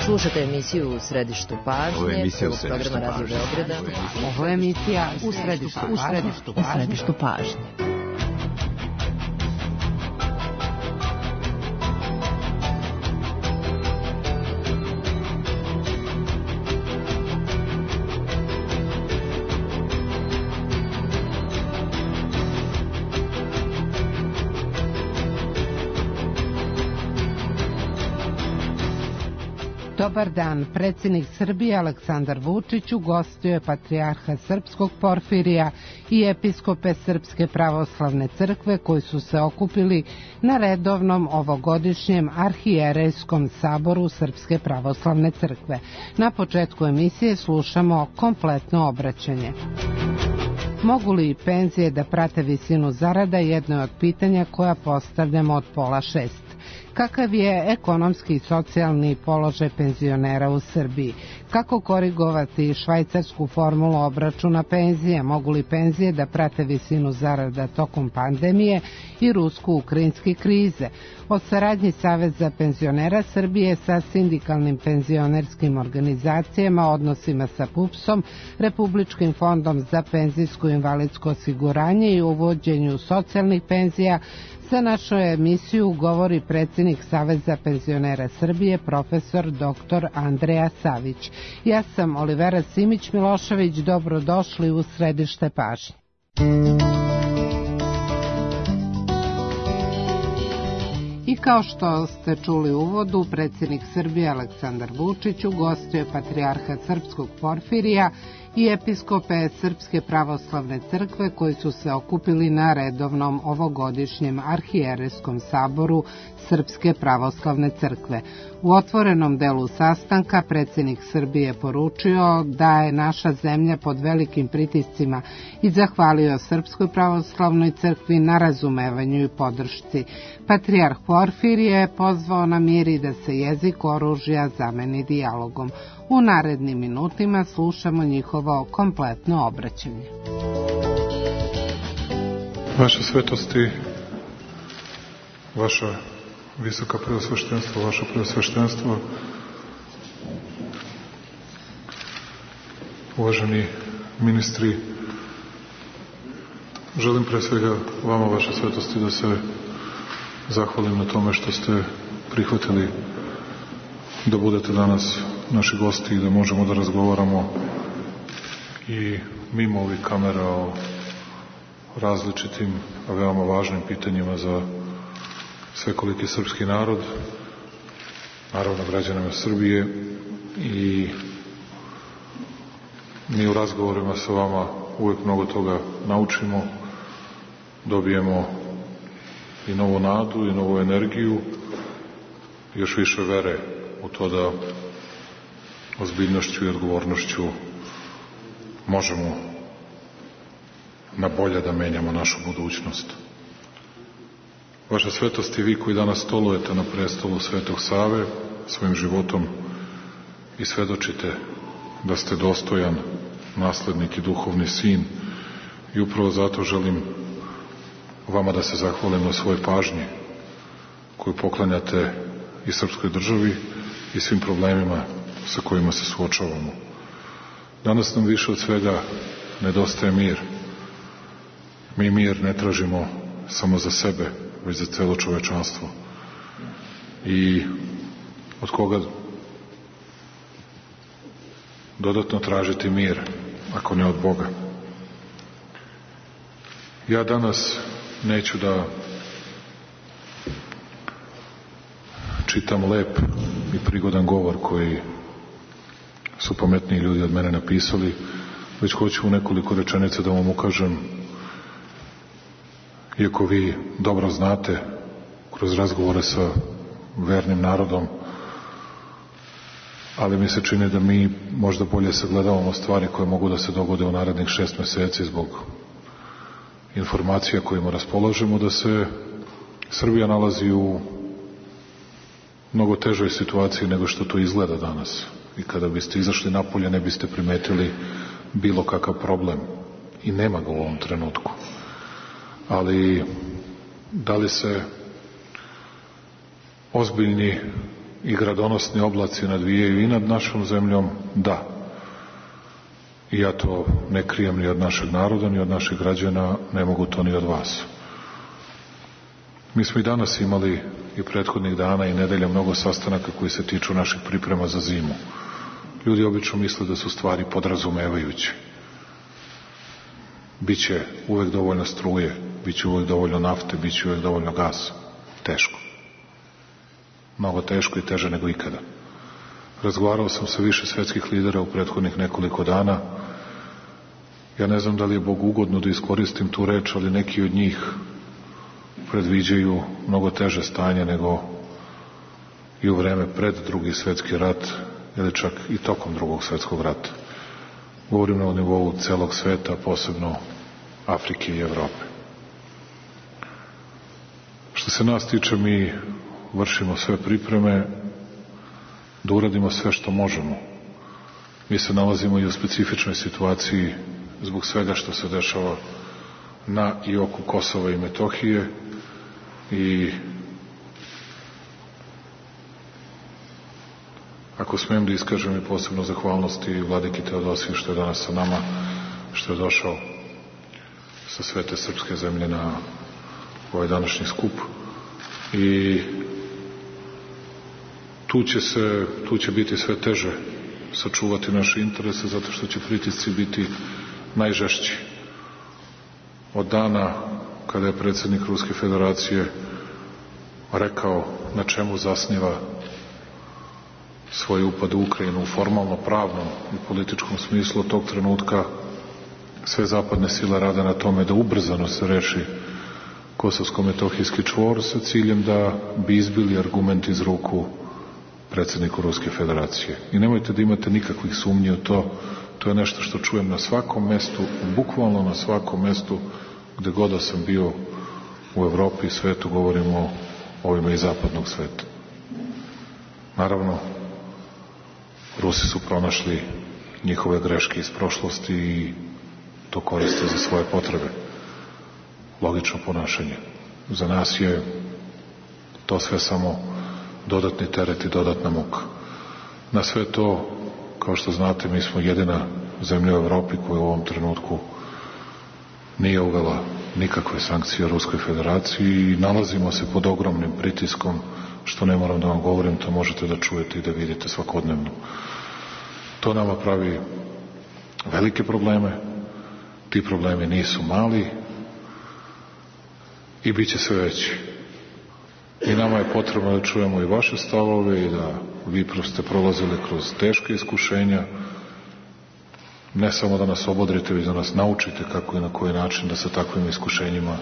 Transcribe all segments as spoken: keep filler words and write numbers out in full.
Slušate emisiju U središtu pažnje, prvog programa Radio Beograda. Ovo je emisija U središtu pažnje. U središtu pažnje. Dobar dan. Predsjednik Srbije Aleksandar Vučić ugostio je patrijarha srpskog Porfirija i episkope Srpske pravoslavne crkve koji su se okupili na redovnom ovogodišnjem arhijerejskom saboru Srpske pravoslavne crkve. Na početku emisije slušamo kompletno obraćanje. Mogu li penzije da prate visinu zarada? Jedno je od pitanja koja postavljamo od pola šest. Kakav je ekonomski i socijalni položaj penzionera u Srbiji? Kako korigovati švajcarsku formulu obračuna penzija? Mogu li penzije da prate visinu zarada tokom pandemije i rusko-ukrajinske krize? O saradnji Saveza penzionera Srbije sa sindikalnim penzionerskim organizacijama, odnosima sa PUPS-om, Republičkim fondom za penzijsko i invalidsko osiguranje i uvođenju socijalnih penzija, za našu emisiju govori predsjednik Saveza penzionera Srbije, profesor doktor Andreja Savić. Ja sam Olivera Simić-Milošević, dobrodošli u središte pažnje. I kao što ste čuli u uvodu, predsjednik Srbije Aleksandar Vučić ugostio je patrijarha srpskog Porfirija i episkope Srpske pravoslavne crkve koji su se okupili na redovnom ovogodišnjem arhijerejskom saboru Srpske pravoslavne crkve. U otvorenom delu sastanka predsjednik Srbije poručio da je naša zemlja pod velikim pritiscima i zahvalio Srpskoj pravoslavnoj crkvi na razumevanju i podršci. Patrijarh Porfirije je pozvao na mir i da se jezik oružja zameni dijalogom. U narednim minutima slušamo njihovo kompletno obraćanje. Vaše svetosti, vaša visoka preosveštenstvo, vaše preosveštenstvo, uvaženi ministri, želim pre svega vama, vaše svetosti, da se zahvalim na tome što ste prihvatili da budete danas naši gosti i da možemo da razgovaramo i mimo ovih kamera o različitim, a veoma važnim pitanjima za svekoliki srpski narod, naravno građanima Srbije, i mi u razgovorima sa vama uvek mnogo toga naučimo, dobijemo i novu nadu i novu energiju, još više vere u to da ozbiljnošću i odgovornošću možemo na bolje da menjamo našu budućnost. Vaša svetost i vi koji danas stolujete na prestolu Svetog Save svojim životom i svedočite da ste dostojan naslednik i duhovni sin, i upravo zato želim vama da se zahvalim na svojoj pažnji koju poklanjate i srpskoj državi i svim problemima sa kojima se suočavamo. Danas nam više od svega nedostaje mir. Mi mir ne tražimo samo za sebe, već za celo čovečanstvo. I od koga dodatno tražiti mir, ako ne od Boga? Ja danas neću da čitam lep i prigodan govor koji su pametniji ljudi od mene napisali, već hoću u nekoliko rečenica da vam ukažem, iako vi dobro znate kroz razgovore sa vernim narodom, ali mi se čini da mi možda bolje sagledavamo stvari koje mogu da se dogode u narednih šest meseci zbog informacija kojima raspolažemo, da se Srbija nalazi u mnogo težoj situaciji nego što to izgleda danas. I kada biste izašli napolje ne biste primetili bilo kakav problem. I nema ga u ovom trenutku. Ali da li se ozbiljni i gradonosni oblaci nadvijaju i nad našom zemljom, da. I ja to ne krijem ni od našeg naroda, ni od naših građana, ne mogu to ni od vas. Mi smo i danas imali i prethodnih dana i nedelja mnogo sastanaka koji se tiču naših priprema za zimu. Ljudi obično misle da su stvari podrazumevajuće. Biće uvek dovoljno struje, biće uvek dovoljno nafte, biće uvek dovoljno gasa. Teško. Mnogo teško i teže nego ikada. Razgovarao sam sa više svetskih lidera u prethodnih nekoliko dana. Ja ne znam da li je Bog ugodno da iskoristim tu reč, ali neki od njih predviđaju mnogo teže stanje nego i u vreme pred Drugi svetski rat ili čak i tokom Drugog svetskog rata. Govorim na nivou celog sveta, posebno Afrike i Evrope. Što se nas tiče, mi vršimo sve pripreme da uradimo sve što možemo. Mi se nalazimo i u specifičnoj situaciji zbog svega što se dešava na i oko Kosova i Metohije i ako smijem da iskažem i posebno zahvalnosti vladiki Teodosiju što je danas sa nama, što je došao sa svete srpske zemlje na ovaj današnji skup i tu će se, tu će biti sve teže sačuvati naše interese zato što će pritisci biti najžešći. Od dana kada je predsjednik Ruske federacije rekao na čemu zasniva svoj upad u Ukrajinu u formalno pravnom i političkom smislu, od tog trenutka sve zapadne sile rade na tome da ubrzano se reši kosovsko-metohijski čvor sa ciljem da bi izbili argument iz ruku predsjedniku Ruske federacije. I nemojte da imate nikakvih sumnji u to, to je nešto što čujem na svakom mestu, bukvalno na svakom mestu gde god da sam bio u Evropi i svetu, govorimo o ovima iz zapadnog sveta. Naravno, Rusi su pronašli njihove greške iz prošlosti i to koriste za svoje potrebe. Logično ponašanje. Za nas je to sve samo dodatni teret i dodatna muka. Na sve to, kao što znate, mi smo jedina zemlja u Evropi koja u ovom trenutku nije uvela nikakve sankcije Ruskoj federaciji i nalazimo se pod ogromnim pritiskom, što ne moram da vam govorim, to možete da čujete i da vidite svakodnevno. To nama pravi velike probleme, ti problemi nisu mali i bit će sve veći. I nama je potrebno da čujemo i vaše stavove i da vi ste prolazili kroz teške iskušenja, ne samo da nas obodrite, već da nas naučite kako i na koji način da sa takvim iskušenjima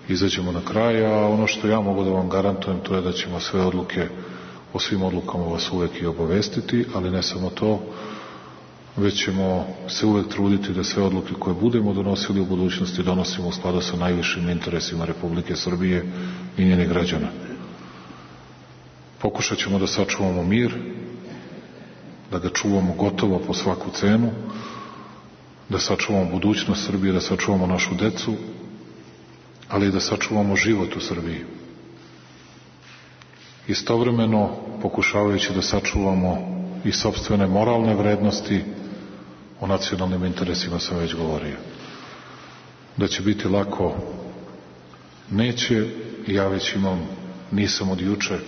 izađemo na kraj, a ono što ja mogu da vam garantujem to je da ćemo sve odluke, o svim odlukama vas uvek i obavestiti, ali ne samo to, već ćemo se uvek truditi da sve odluke koje budemo donosili u budućnosti donosimo u skladu sa najvišim interesima Republike Srbije i njenih građana. Pokušat ćemo da sačuvamo mir, da ga čuvamo gotovo po svaku cenu, da sačuvamo budućnost Srbije, da sačuvamo našu decu, ali i da sačuvamo život u Srbiji. Istovremeno, pokušavajući da sačuvamo i sopstvene moralne vrednosti, o nacionalnim interesima sam već govorio. Da će biti lako, neće, ja već imam, nisam od juče,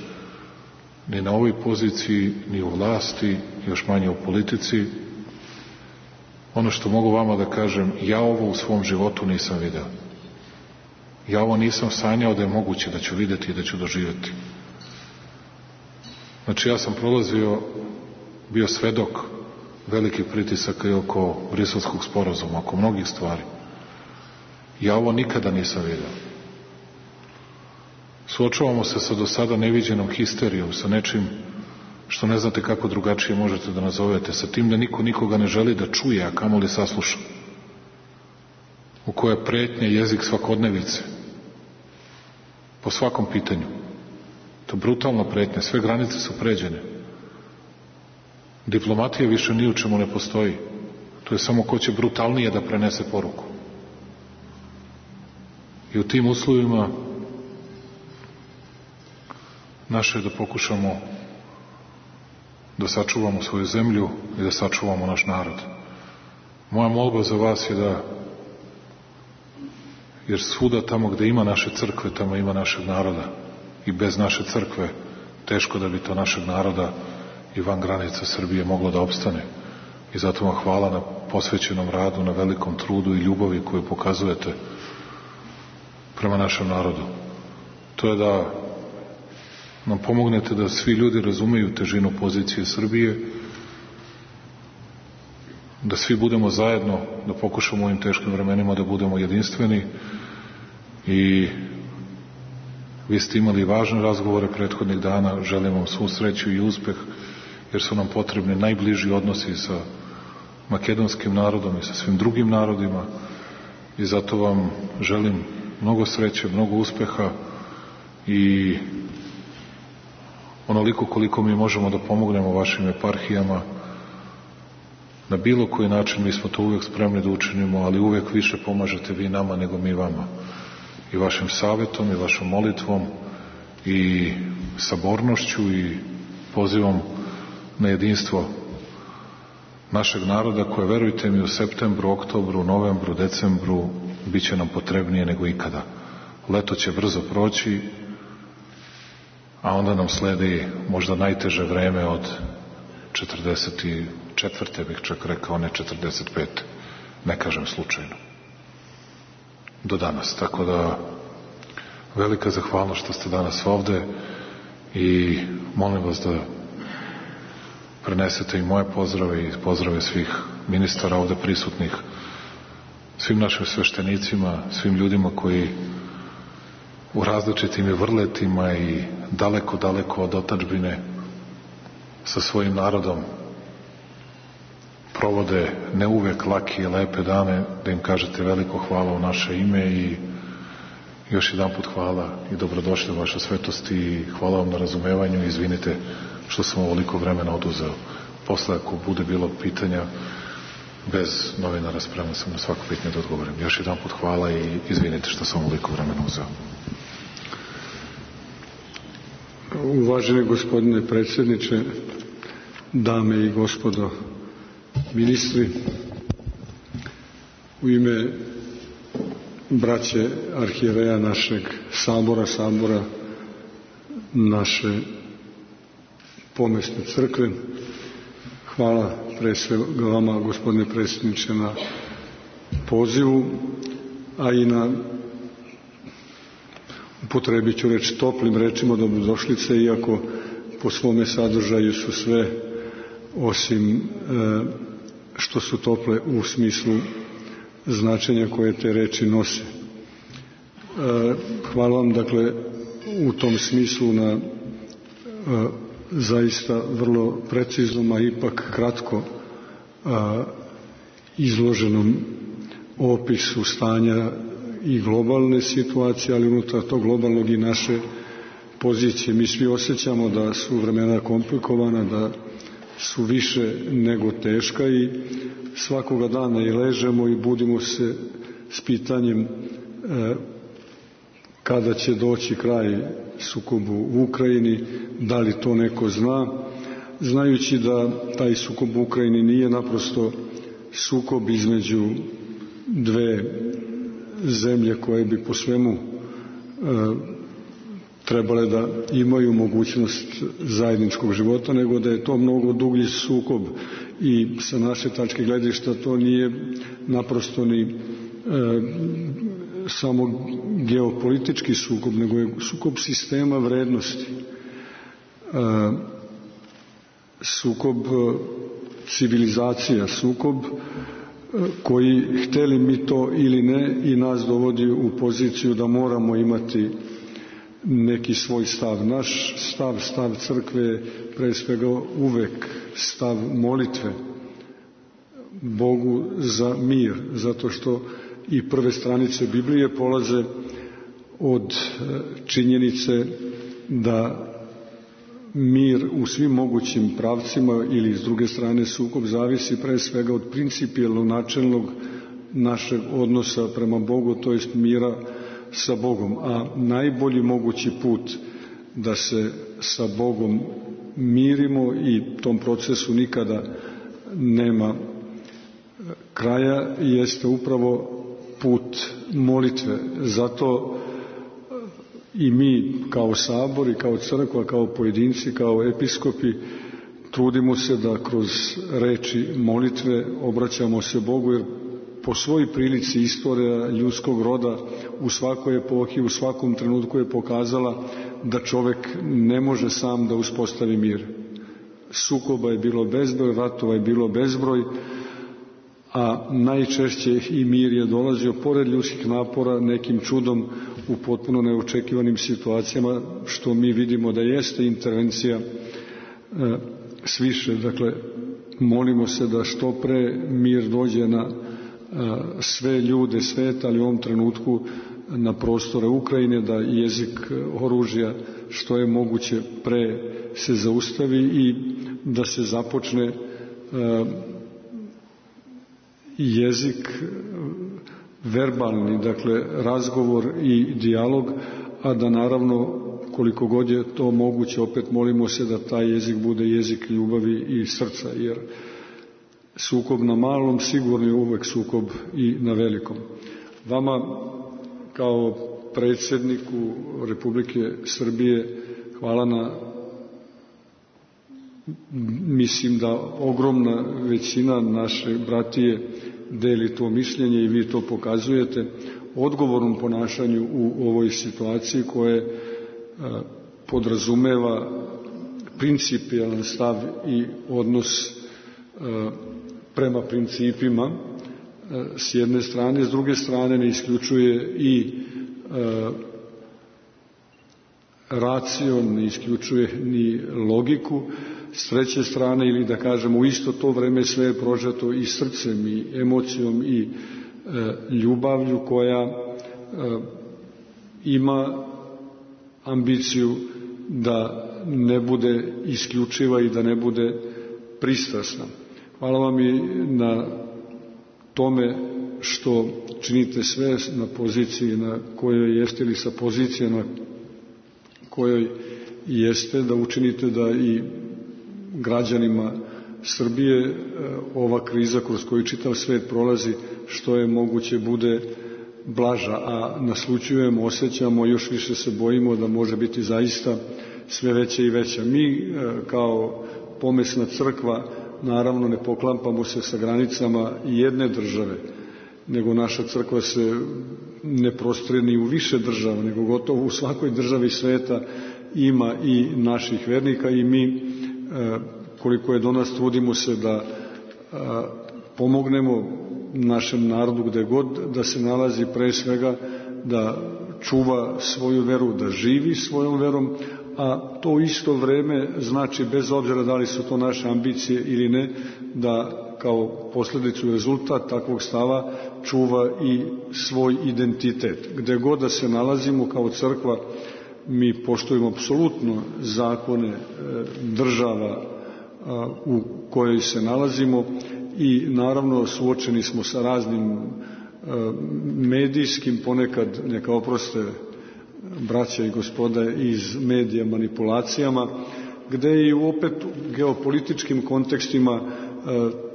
ni na ovoj poziciji, ni u vlasti, još manje u politici. Ono što mogu vama da kažem, ja ovo u svom životu nisam video. Ja ovo nisam sanjao da je moguće da ću videti i da ću doživjeti. Znači ja sam prolazio, bio svedok velikih pritisaka i oko Briselskog sporazuma, oko mnogih stvari. Ja ovo nikada nisam vidio. Suočavamo se sa do sada neviđenom histerijom, sa nečim što ne znate kako drugačije možete da nazovete, sa tim da niko nikoga ne želi da čuje, a kamoli sasluša. U koje pretnje jezik svakodnevice, po svakom pitanju. To brutalna pretnja, sve granice su pređene. Diplomatija više ni u čemu ne postoji. To je samo ko će brutalnije da prenese poruku. I u tim uslovima naše je da pokušamo da sačuvamo svoju zemlju i da sačuvamo naš narod. Moja molba za vas je da, jer svuda tamo gde ima naše crkve, tamo ima našeg naroda. I bez naše crkve teško da bi to našeg naroda i van granica Srbije moglo da opstane. I zato vam hvala na posvećenom radu, na velikom trudu i ljubavi koju pokazujete prema našem narodu. To je da nam pomognete da svi ljudi razumeju težinu pozicije Srbije, da svi budemo zajedno, da pokušamo u ovim teškim vremenima da budemo jedinstveni. I vi ste imali važne razgovore prethodnih dana, želim vam svu sreću i uspeh, jer su nam potrebni najbliži odnosi sa makedonskim narodom i sa svim drugim narodima, i zato vam želim mnogo sreće, mnogo uspeha i onoliko koliko mi možemo da pomognemo vašim eparhijama na bilo koji način, mi smo to uvek spremni da učinimo, ali uvek više pomažete vi nama nego mi vama, i vašim savetom i vašom molitvom i sabornošću i pozivom na jedinstvo našeg naroda, koje, verujte mi, u septembru, oktobru, novembru, decembru bit će nam potrebnije nego ikada. Leto će brzo proći, a onda nam sledi možda najteže vreme od četrdeset četvrte bih čak rekao, ne četrdeset pete Ne kažem slučajno. Do danas. Tako da, velika zahvalnost što ste danas ovde i molim vas da prenesete i moje pozdrave i pozdrave svih ministara ovde prisutnih, svim našim sveštenicima, svim ljudima koji u različitim i vrletima i daleko, daleko od otadžbine sa svojim narodom provode ne uvek lake i lepe dane, da im kažete veliko hvala u naše ime i još jedan put hvala i dobrodošli u vaše svetosti i hvala vam na razumevanju i izvinite što sam ovoliko vremena oduzeo. Posle, ako bude bilo pitanja, bez novinara spreman sam na svako pitanje da odgovorim. Još jedan put hvala i izvinite što sam ovoliko vremena uzeo. Uvaženi gospodine predsjedniče, dame i gospodo ministri, u ime braće arhijereja našeg sabora, sabora naše pomesne crkve, hvala pre svega vama, gospodine predsjedniče, na pozivu, a i na, upotrebit ću reći, toplim rečima dobrodošlice, iako po svome sadržaju su sve osim e, što su tople u smislu značenja koje te reči nose. E, hvala vam, dakle, u tom smislu na e, zaista vrlo preciznom, a ipak kratko a, izloženom opisu stanja i globalne situacije, ali unutar tog globalnog i naše pozicije. Mi svi osjećamo da su vremena komplikovana, da su više nego teška i svakoga dana i ležemo i budimo se s pitanjem e, kada će doći kraj sukobu u Ukrajini, da li to neko zna, znajući da taj sukob u Ukrajini nije naprosto sukob između dve zemlje koje bi po svemu e, trebale da imaju mogućnost zajedničkog života, nego da je to mnogo dublji sukob i sa naše tačke gledišta to nije naprosto ni e, samo geopolitički sukob, nego je sukob sistema vrednosti, e, sukob civilizacija, sukob koji, hteli mi to ili ne, i nas dovodi u poziciju da moramo imati neki svoj stav. Naš stav, stav crkve, pre svega uvek stav molitve Bogu za mir, zato što i prve stranice Biblije polaze od činjenice da mir u svim mogućim pravcima ili s druge strane sukob zavisi pre svega od principijelno načelnog našeg odnosa prema Bogu, to jest mira sa Bogom. A najbolji mogući put da se sa Bogom mirimo i tom procesu nikada nema kraja, jeste upravo put molitve. Zato i mi kao sabor i kao crkva, kao pojedinci, kao episkopi trudimo se da kroz reči molitve obraćamo se Bogu, jer po svoj prilici istorija ljudskog roda u svakoj epohi, u svakom trenutku je pokazala da čovek ne može sam da uspostavi mir. Sukoba je bilo bezbroj, ratova je bilo bezbroj, a najčešće i mir je dolazio pored ljudskih napora nekim čudom u potpuno neočekivanim situacijama, što mi vidimo da jeste intervencija e, sviše. Dakle, molimo se da što pre mir dođe na e, sve ljude sveta, ali u ovom trenutku na prostore Ukrajine, da jezik oružja što je moguće pre se zaustavi i da se započne e, jezik verbalni, dakle razgovor i dijalog, a da naravno koliko god je to moguće opet molimo se da taj jezik bude jezik ljubavi i srca, jer sukob na malom sigurno je uvek sukob i na velikom. Vama kao predsjedniku Republike Srbije hvala na, mislim da ogromna većina naše bratije deli to mišljenje i vi to pokazujete odgovornom ponašanju u ovoj situaciji koje a, podrazumeva principijalan stav i odnos a, prema principima a, s jedne strane, s druge strane ne isključuje i a, racion, ne isključuje ni logiku, s treće strane, ili da kažemo u isto to vreme sve je prožeto i srcem i emocijom i e, ljubavlju koja e, ima ambiciju da ne bude isključiva i da ne bude pristrasna. Hvala vam i na tome što činite sve na poziciji na kojoj jeste ili sa pozicije na kojoj jeste, da učinite da i građanima Srbije ova kriza kroz koju čitav svet prolazi što je moguće bude blaža, a naslućujemo, osjećamo, još više se bojimo da može biti zaista sve veća i veća. Mi kao pomesna crkva naravno ne poklampamo se sa granicama jedne države, nego naša crkva se ne prostire ni u više država, nego gotovo u svakoj državi sveta ima i naših vernika i mi koliko je do nas trudimo se da pomognemo našem narodu gde god da se nalazi, pre svega da čuva svoju veru, da živi svojom verom, a to isto vreme znači, bez obzira da li su to naše ambicije ili ne, da kao posledicu i rezultat takvog stava čuva i svoj identitet. Gde god da se nalazimo kao crkva, mi poštujemo apsolutno zakone država u kojoj se nalazimo i naravno suočeni smo sa raznim medijskim, ponekad neka oproste braća i gospoda iz medija, manipulacijama, gde i opet u geopolitičkim kontekstima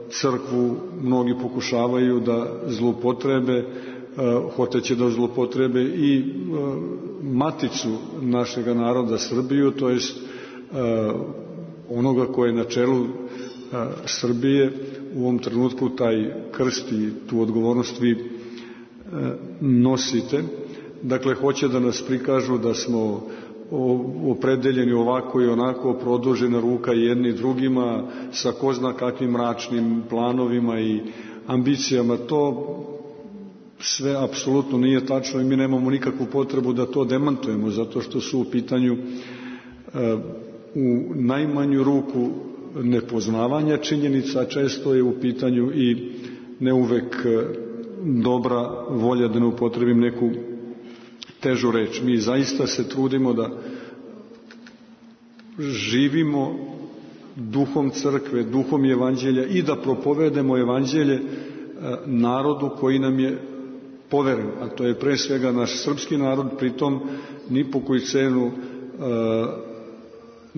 crkvu mnogi pokušavaju da zloupotrebe, hoteće da zloupotrebe i maticu našega naroda Srbiju, to jest onoga koje je na čelu Srbije u ovom trenutku taj krst i tu odgovornost vi nosite. Dakle, hoće da nas prikažu da smo opredeljeni ovako i onako, produžena ruka jedni drugima sa ko zna kakvim mračnim planovima i ambicijama. To sve apsolutno nije tačno i mi nemamo nikakvu potrebu da to demantujemo, zato što su u pitanju u najmanju ruku nepoznavanja činjenica, često je u pitanju i ne uvek dobra volja, da ne upotrebim neku težu reč. Mi zaista se trudimo da živimo duhom crkve, duhom evanđelja i da propovedemo evanđelje narodu koji nam je poveren, a to je pre svega naš srpski narod, pritom ni po koju cenu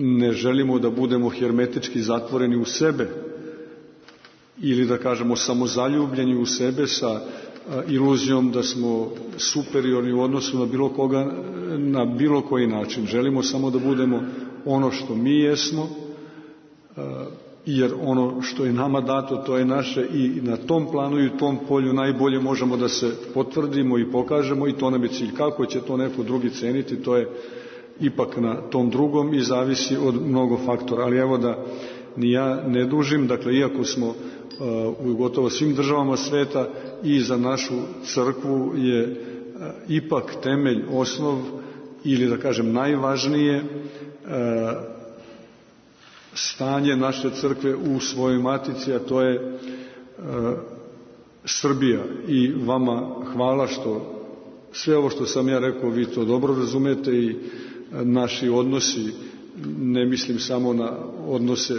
ne želimo da budemo hermetički zatvoreni u sebe ili da kažemo samozaljubljeni u sebe sa iluzijom da smo superiorni u odnosu na bilo koga, na bilo koji način. Želimo samo da budemo ono što mi jesmo, jer ono što je nama dato, to je naše i na tom planu i u tom polju najbolje možemo da se potvrdimo i pokažemo i to nam je cilj. Kako će to neko drugi ceniti, to je ipak na tom drugom i zavisi od mnogo faktora. Ali evo da ni ja ne dužim, dakle iako smo u gotovo svim državama sveta i za našu crkvu je ipak temelj, osnov ili da kažem najvažnije stanje naše crkve u svojoj matici, a to je Srbija. I vama hvala što sve ovo što sam ja rekao vi to dobro razumete i naši odnosi, ne mislim samo na odnose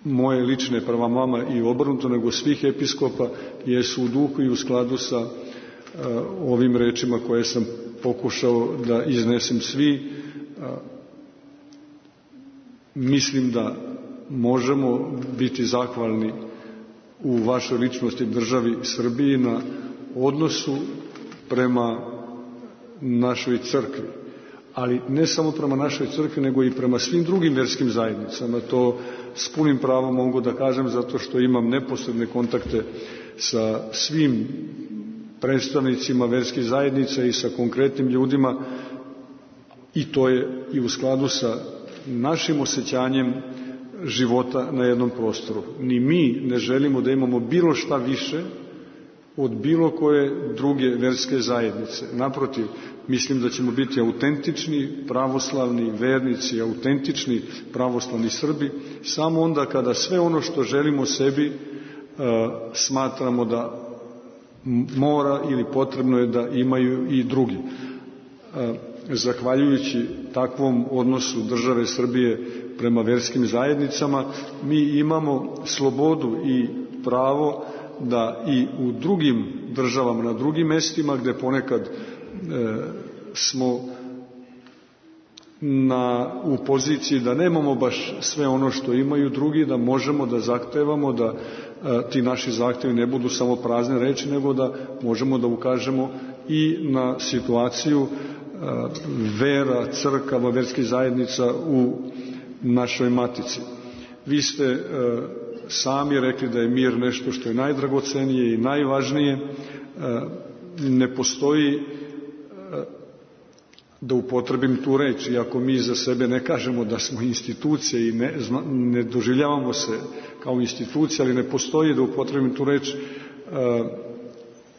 moje lične prema vama i obrnuto, nego svih episkopa, jesu u duhu i u skladu sa uh, ovim rečima koje sam pokušao da iznesem svi. Uh, mislim da možemo biti zahvalni u vašoj ličnosti državi Srbiji na odnosu prema našoj crkvi. Ali ne samo prema našoj crkvi, nego i prema svim drugim verskim zajednicama. To s punim pravom mogu da kažem, zato što imam neposredne kontakte sa svim predstavnicima verskih zajednica i sa konkretnim ljudima, i to je i u skladu sa našim osjećanjem života na jednom prostoru. Ni mi ne želimo da imamo bilo šta više od bilo koje druge verske zajednice. Naprotiv, mislim da ćemo biti autentični pravoslavni vernici, autentični pravoslavni Srbi, samo onda kada sve ono što želimo sebi uh, smatramo da mora ili potrebno je da imaju i drugi. Uh, zahvaljujući takvom odnosu države Srbije prema verskim zajednicama, mi imamo slobodu i pravo da i u drugim državama, na drugim mestima gde ponekad e, smo na, u poziciji da nemamo baš sve ono što imaju drugi, da možemo da zahtevamo da e, ti naši zahtevi ne budu samo prazne reči, nego da možemo da ukažemo i na situaciju e, vera, crkava, verskih zajednica u našoj matici. Vi ste e, sami rekli da je mir nešto što je najdragocenije i najvažnije. Ne postoji, da upotrebim tu reč, iako mi za sebe ne kažemo da smo institucije i ne, ne doživljavamo se kao institucija, ali ne postoji, da upotrebim tu reč,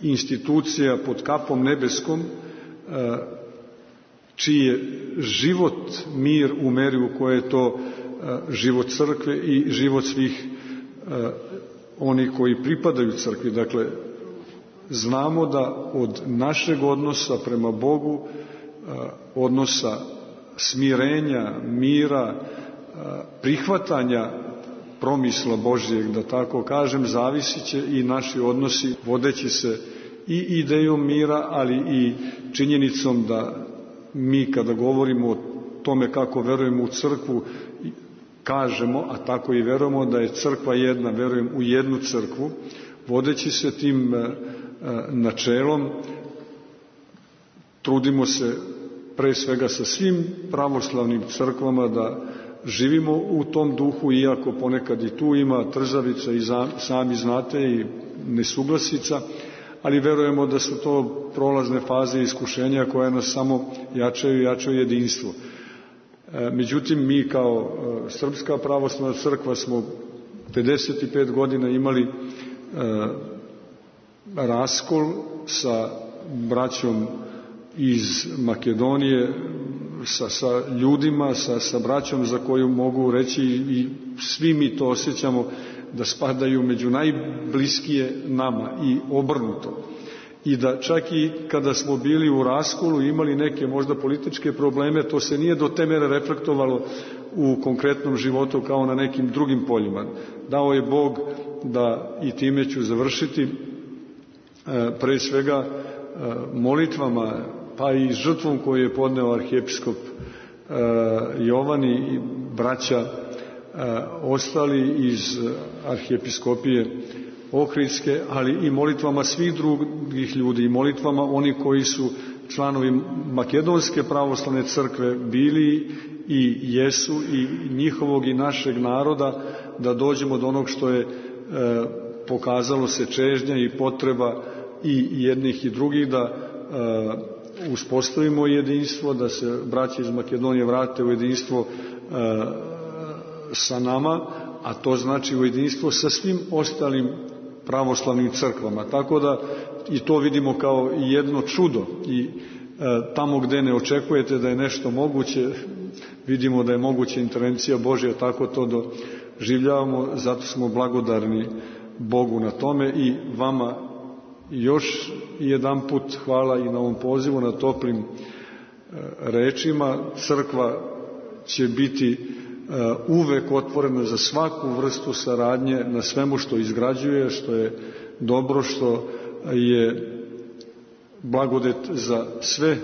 institucija pod kapom nebeskom, čiji je život mir u meri u kojoj je to život crkve i život svih oni koji pripadaju crkvi. Dakle, znamo da od našeg odnosa prema Bogu, odnosa smirenja, mira, prihvatanja promisla Božjeg, da tako kažem, zavisit će i naši odnosi, vodeći se i idejom mira, ali i činjenicom da mi kada govorimo o tome kako verujemo u crkvu, kažemo, a tako i verujemo da je crkva jedna, verujem u jednu crkvu, vodeći se tim e, načelom, trudimo se pre svega sa svim pravoslavnim crkvama da živimo u tom duhu, iako ponekad i tu ima trzavica i za, sami znate i nesuglasica, ali verujemo da su to prolazne faze iskušenja koje nas samo jačaju i jačaju jedinstvo. Međutim, mi kao Srpska pravoslavna crkva smo pedeset pet godina imali e, raskol sa braćom iz Makedonije, sa, sa ljudima, sa, sa braćom za koju mogu reći i svi mi to osjećamo da spadaju među najbliskije nama i obrnuto. I da čak i kada smo bili u raskolu i imali neke možda političke probleme, to se nije do te mere reflektovalo u konkretnom životu kao na nekim drugim poljima. Dao je Bog da, i time ću završiti, pre svega molitvama pa i žrtvom koju je podneo arhijepiskop Jovan i braća ostali iz arhijepiskopije Ohridske, ali i molitvama svih drugih ljudi i molitvama oni koji su članovi Makedonske pravoslavne crkve bili i jesu i njihovog i našeg naroda, da dođemo do onog što je e, pokazalo se čežnja i potreba i jednih i drugih, da e, uspostavimo jedinstvo, da se braća iz Makedonije vrate u jedinstvo e, sa nama, a to znači u jedinstvo sa svim ostalim pravoslavnim crkvama. Tako da i to vidimo kao jedno čudo i e, tamo gde ne očekujete da je nešto moguće, vidimo da je moguća intervencija Božja, tako to doživljavamo, zato smo blagodarni Bogu na tome i vama još jedan put hvala i na ovom pozivu, na toplim e, rečima. Crkva će biti uvek otvorena za svaku vrstu saradnje na svemu što izgrađuje, što je dobro, što je blagodet za sve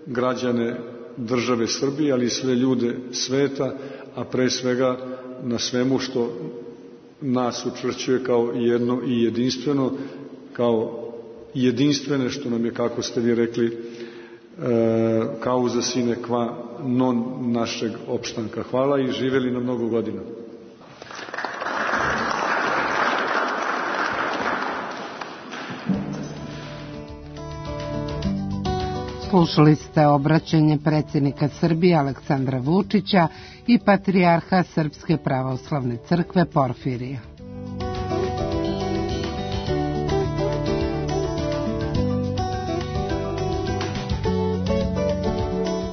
građane države Srbije, ali i sve ljude sveta, a pre svega na svemu što nas učvršćuje kao jedno i jedinstveno, kao jedinstvene, što nam je, kako ste vi rekli, causa sine qua non našeg opštanka. Hvala i živeli na mnogo godina. Slušali ste obraćanje predsjednika Srbije Aleksandra Vučića i patrijarha Srpske pravoslavne crkve Porfirija.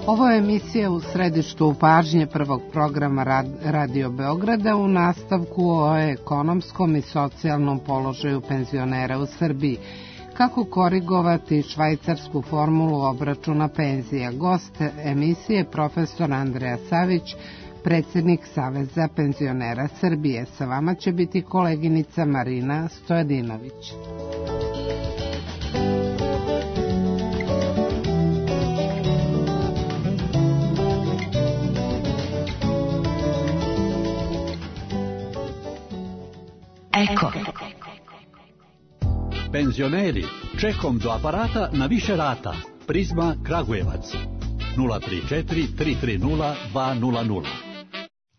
Ovo je emisija U središtu pažnje prvog programa Radio Beograda u nastavku o ekonomskom i socijalnom položaju penzionera u Srbiji. Kako korigovati švajcarsku formulu obračuna penzija? Gost emisije profesor Andreja Savić, predsjednik Saveza penzionera Srbije. Sa vama će biti koleginica Marina Stojadinović. Eko. Penzioneri, čekom do aparata na više rata. Prizma Kragujevac. nula tri četiri tri tri nula dva nula nula.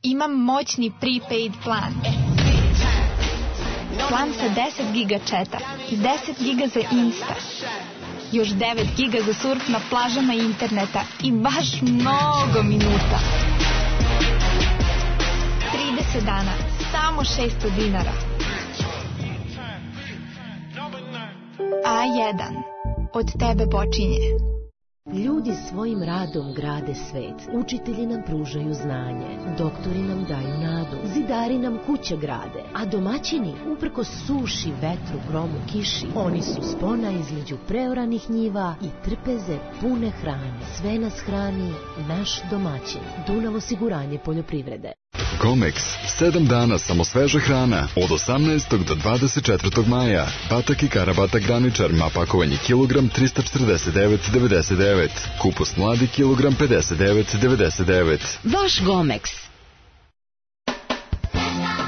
Imam moćni prepaid plan. Plan sa deset giga četa i deset giga za Insta. Još devet giga za surf na plažama interneta i baš mnogo minuta. trideset dana, samo šesto dinara. A jedan. Od tebe počinje. Ljudi svojim radom grade svet. Učitelji nam pružaju znanje. Doktori nam daju nadu. Zidari nam kuće grade. A domaćini, uprkos suši, vetru, gromu, kiši, oni su spona između preoranih njiva i trpeze pune hrane. Sve nas hrani naš domaćin. Dunav osiguranje poljoprivrede. Comex. Sedam dana samo sveža hrana. Od osamnaestog do dvadeset četvrtog maja. Batak i karabatak graničar. Ma pakovanje kilogram trista četrdeset devet devedeset devet. Kupus mladi kilogram pedeset devet devedeset devet. Vaš Gomex.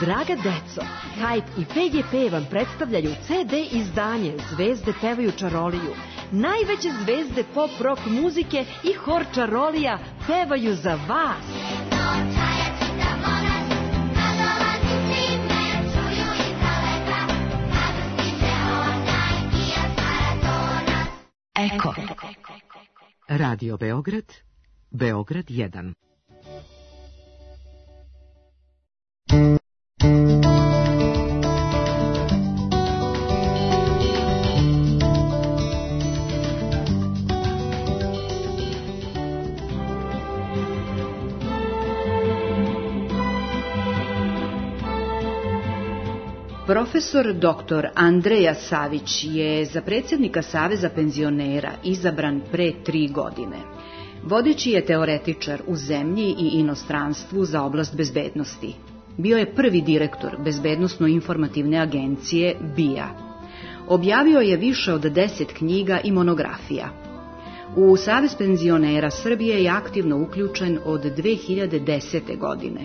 Draga deco, Hype i P G P vam predstavljaju C D izdanje Zvezde pevaju čaroliju. Najveće zvezde pop rock muzike i hor čarolija pevaju za vas. Eko. Radio Beograd, Beograd jedan. Profesor doktor Andreja Savić je za predsjednika Saveza penzionera izabran pre tri godine. Vodeći je teoretičar u zemlji i inostranstvu za oblast bezbednosti. Bio je prvi direktor Bezbednosno-informativne agencije B I A. Objavio je više od deset knjiga i monografija. U Savez penzionera Srbije je aktivno uključen od dve hiljade desete. godine.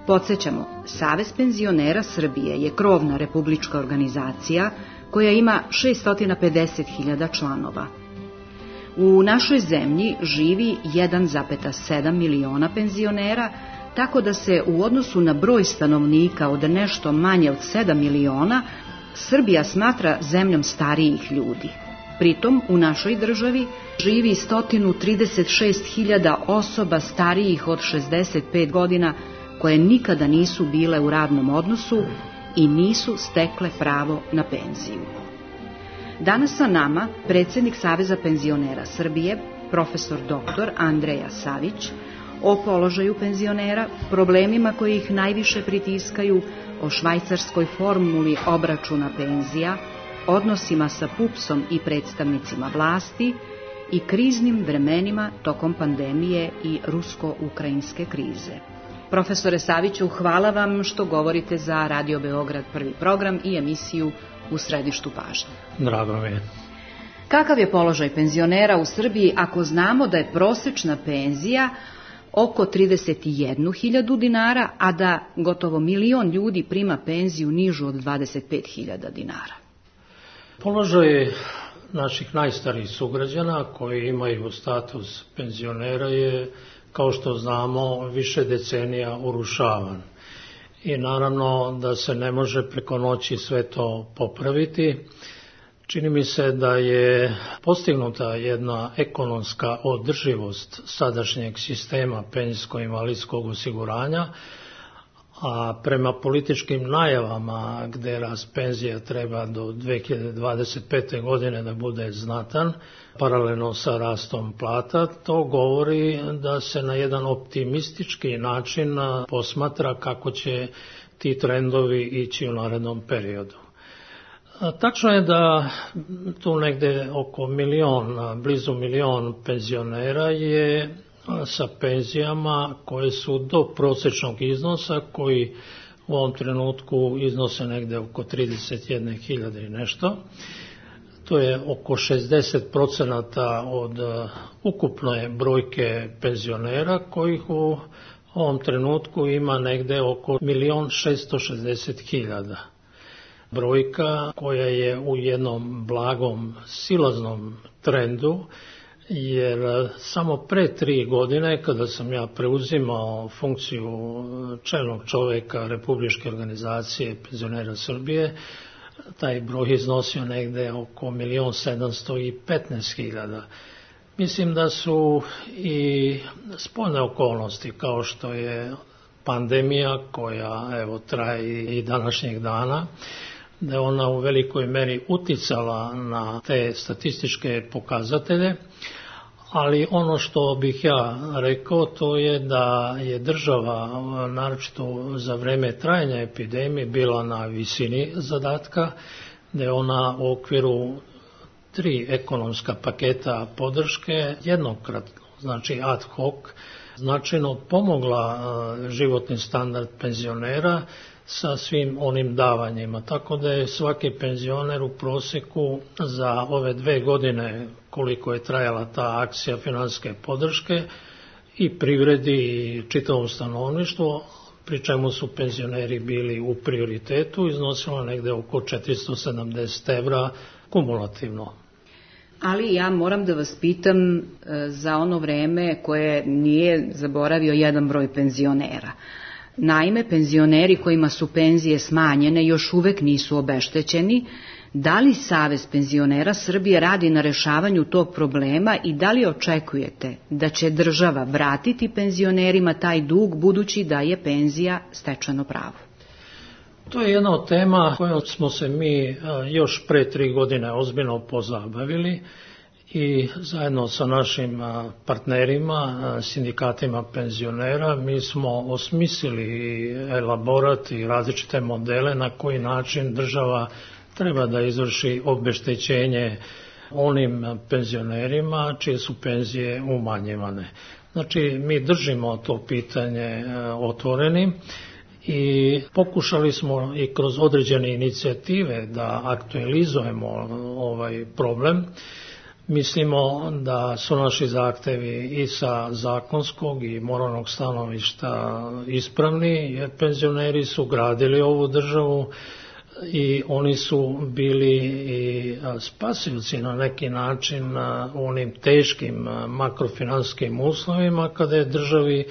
Podsjećamo, Savez penzionera Srbije je krovna republička organizacija koja ima šessto pedeset hiljada članova. U našoj zemlji živi jedan zarez sedam miliona penzionera, tako da se u odnosu na broj stanovnika od nešto manje od sedam miliona, Srbija smatra zemljom starijih ljudi. Pritom u našoj državi živi sto trideset šest hiljada osoba starijih od šezdeset pet godina koje nikada nisu bile u radnom odnosu i nisu stekle pravo na penziju. Danas sa nama predsjednik Saveza penzionera Srbije, profesor doktor Andreja Savić, o položaju penzionera, problemima koji ih najviše pritiskaju, o švajcarskoj formuli obračuna penzija, odnosima sa pupsom i predstavnicima vlasti i kriznim vremenima tokom pandemije i rusko-ukrajinske krize. Profesore Saviću, hvala vam što govorite za Radio Beograd prvi program i emisiju U središtu pažnje. Drago mi je. Kakav je položaj penzionera u Srbiji ako znamo da je prosečna penzija oko trideset jednu hiljadu dinara, a da gotovo milion ljudi prima penziju nižu od dvadeset pet hiljada dinara? Položaj naših najstarijih sugrađana koji imaju status penzionera je, kao što znamo, više decenija urušavan. I naravno da se ne može preko noći sve to popraviti. Čini mi se da je postignuta jedna ekonomska održivost sadašnjeg sistema penzijsko-invalidskog osiguranja, a prema političkim najavama gde rast penzija treba do dve hiljade dvadeset pete. godine da bude znatan, paralelno sa rastom plata, to govori da se na jedan optimistički način posmatra kako će ti trendovi ići u narednom periodu. Tačno je da tu negde oko milion, blizu milion penzionera je sa penzijama koje su do prosječnog iznosa, koji u ovom trenutku iznose negde oko trideset jedne hiljade i nešto. To je oko šezdeset procenata od ukupne brojke penzionera, kojih u ovom trenutku ima negde oko milion šesto šezdeset hiljada. Brojka koja je u jednom blagom silaznom trendu, jer samo pre tri godine, kada sam ja preuzimao funkciju čelnog čoveka Republičke organizacije penzionera Srbije, taj broj iznosio negde oko milion sedamsto petnaest hiljada. Mislim da su i spoljne okolnosti, kao što je pandemija koja evo traje i današnjeg dana, da je ona u velikoj meri uticala na te statističke pokazatelje, ali ono što bih ja rekao to je da je država, naročito za vreme trajanja epidemije, bila na visini zadatka, da je ona u okviru tri ekonomska paketa podrške jednokratno, znači ad hoc, značajno pomogla životni standard penzionera sa svim onim davanjima. Tako da je svaki penzioner u proseku za ove dve godine koliko je trajala ta akcija finansijske podrške i privredi i čitavom stanovništvu, pri čemu su penzioneri bili u prioritetu, iznosilo negde oko četiristo sedamdeset evra kumulativno. Ali ja moram da vas pitam za ono vreme koje nije zaboravio jedan broj penzionera. Naime, penzioneri kojima su penzije smanjene još uvek nisu obeštećeni. Da li Savez penzionera Srbije radi na rešavanju tog problema i da li očekujete da će država vratiti penzionerima taj dug, budući da je penzija stečeno pravo? To je jedna od tema kojom smo se mi još pre tri godine ozbiljno pozabavili i zajedno sa našim partnerima, sindikatima penzionera, mi smo osmislili elaborat i različite modele na koji način država treba da izvrši obeštećenje onim penzionerima čije su penzije umanjivane. Znači, mi držimo to pitanje otvorenim i pokušali smo i kroz određene inicijative da aktualizujemo ovaj problem. Mislimo da su naši zahtevi i sa zakonskog i moralnog stanovišta ispravni, jer penzioneri su gradili ovu državu i oni su bili i spasioci na neki način u onim teškim makrofinanskim uslovima kada je državi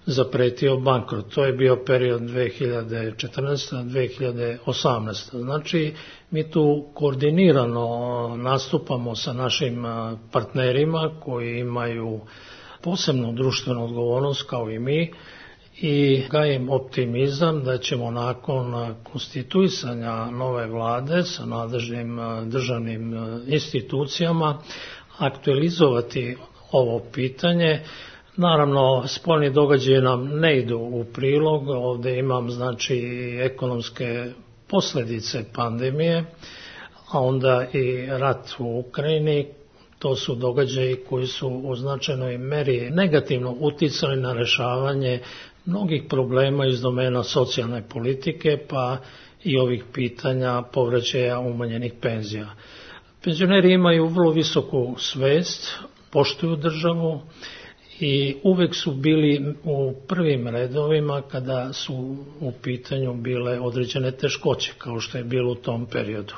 zapretio bankrot. To je bio period dve hiljade četrnaeste do dve hiljade osamnaeste. Znači, mi tu koordinirano nastupamo sa našim partnerima koji imaju posebnu društvenu odgovornost kao i mi i gajim optimizam da ćemo nakon konstituisanja nove vlade sa nadležnim državnim institucijama aktualizovati ovo pitanje. Naravno, spoljni događaji nam ne idu u prilog, ovdje imam znači ekonomske posljedice pandemije, a onda i rat u Ukrajini. To su događaji koji su u značajnoj meri negativno uticali na rješavanje mnogih problema iz domena socijalne politike, pa i ovih pitanja povraćaja umanjenih penzija. Penzioneri imaju vrlo visoku svest, poštuju državu i uvek su bili u prvim redovima kada su u pitanju bile određene teškoće, kao što je bilo u tom periodu.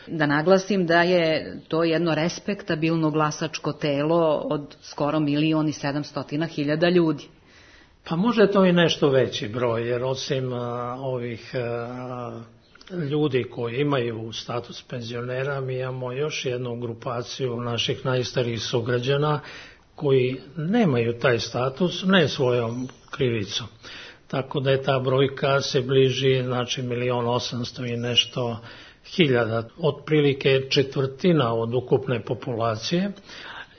Da naglasim da je to jedno respektabilno glasačko telo od skoro milion i sedamstotina hiljada ljudi. Pa može to i nešto veći broj, jer osim a, ovih a, ljudi koji imaju status penzionera, mi imamo još jednu grupaciju naših najstarijih sugrađana koji nemaju taj status, ne svojom krivicom. Tako da je ta brojka se bliži, znači milion osamsto i nešto hiljada, otprilike četvrtina od ukupne populacije.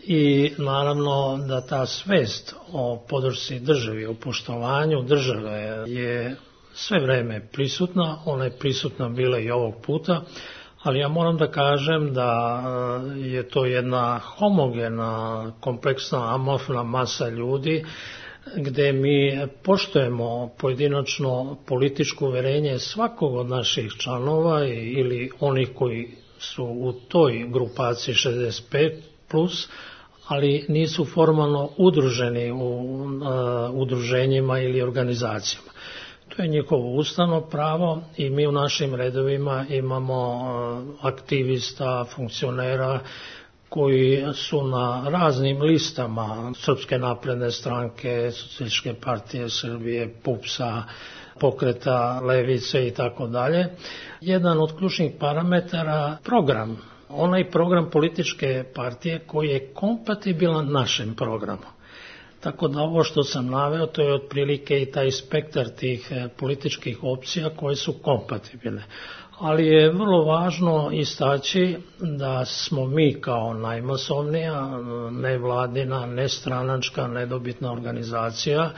I naravno da ta svest o podršci državi, o poštovanju države je sve vreme prisutna, ona je prisutna bila i ovog puta, ali ja moram da kažem da je to jedna homogena, kompleksna, amorfna masa ljudi gde mi poštujemo pojedinačno političko uverenje svakog od naših članova ili onih koji su u toj grupaciji šezdeset pet plus, ali nisu formalno udruženi u uh, udruženjima ili organizacijama. To je njihovo ustavno pravo i mi u našim redovima imamo uh, aktivista, funkcionera koji su na raznim listama Srpske napredne stranke, Socijalističke partije Srbije, PUPS-a, Pokreta Levice i tako dalje. Jedan od ključnih parametara program, onaj program političke partije koji je kompatibilan našem programu. Tako da ovo što sam naveo, to je otprilike i taj spektar tih političkih opcija koje su kompatibilne. Ali je vrlo važno istaći da smo mi kao najmasovnija, nevladina, nestranačka, nedobitna organizacija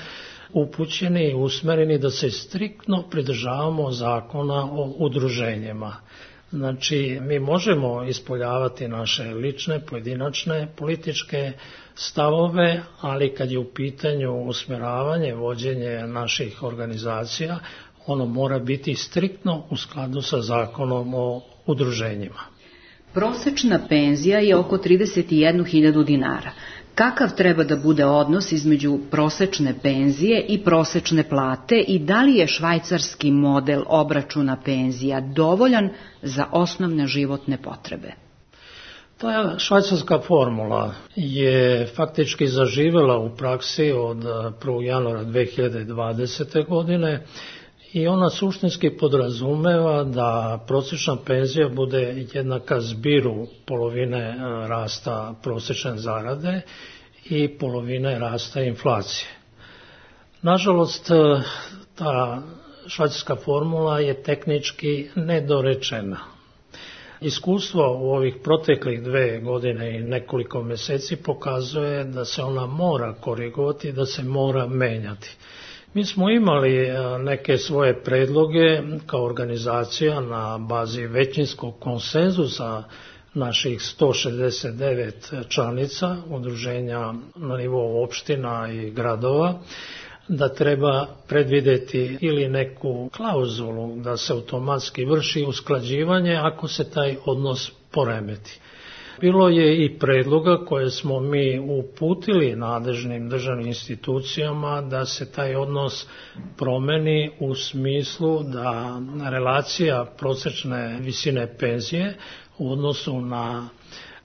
upućeni i usmereni da se striktno pridržavamo zakona o udruženjima. Znači, mi možemo ispoljavati naše lične, pojedinačne političke stavove, ali kad je u pitanju usmjeravanje, vođenje naših organizacija, ono mora biti striktno u skladu sa zakonom o udruženjima. Prosečna penzija je oko trideset jednu hiljadu dinara. Kakav treba da bude odnos između prosečne penzije i prosečne plate i da li je švajcarski model obračuna penzija dovoljan za osnovne životne potrebe? Ta švajcarska formula je faktički zaživela u praksi od prvog januara dve hiljade dvadesete. godine i ona suštinski podrazumeva da prosječna penzija bude jednaka zbiru polovine rasta prosječne zarade i polovine rasta inflacije. Nažalost, ta švajcarska formula je tehnički nedorečena. Iskustvo u ovih proteklih dve godine i nekoliko mjeseci pokazuje da se ona mora korigovati, da se mora menjati. Mi smo imali neke svoje predloge kao organizacija na bazi većinskog konsenzusa naših sto šezdeset devet članica udruženja na nivou opština i gradova, da treba predvideti ili neku klauzulu da se automatski vrši usklađivanje ako se taj odnos poremeti. Bilo je i predloga koje smo mi uputili nadležnim državnim institucijama da se taj odnos promeni u smislu da relacija prosječne visine penzije u odnosu na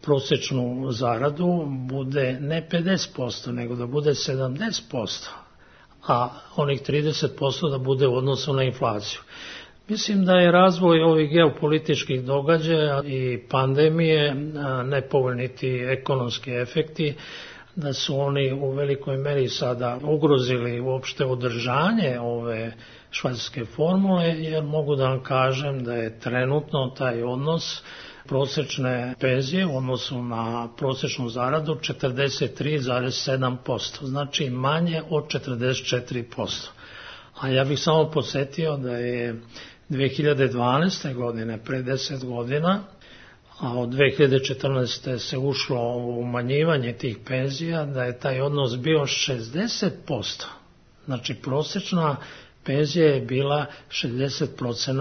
prosječnu zaradu bude ne pedeset posto nego da bude sedamdeset posto, a onih trideset posto da bude u odnosu na inflaciju. Mislim da je razvoj ovih geopolitičkih događaja i pandemije, nepovoljni ti ekonomski efekti, da su oni u velikoj meri sada ugrozili uopšte održanje ove švajcarske formule, jer mogu da vam kažem da je trenutno taj odnos prosječne penzije u odnosu na prosječnu zaradu četrdeset tri zarez sedam posto, znači manje od četrdeset četiri posto. A ja bih samo podsjetio da je dve hiljade dvanaeste. godine, pre deset godina, a od dve hiljade četrnaeste. se ušlo u umanjivanje tih penzija, da je taj odnos bio šezdeset posto. Znači prosječna penzija je bila šezdeset posto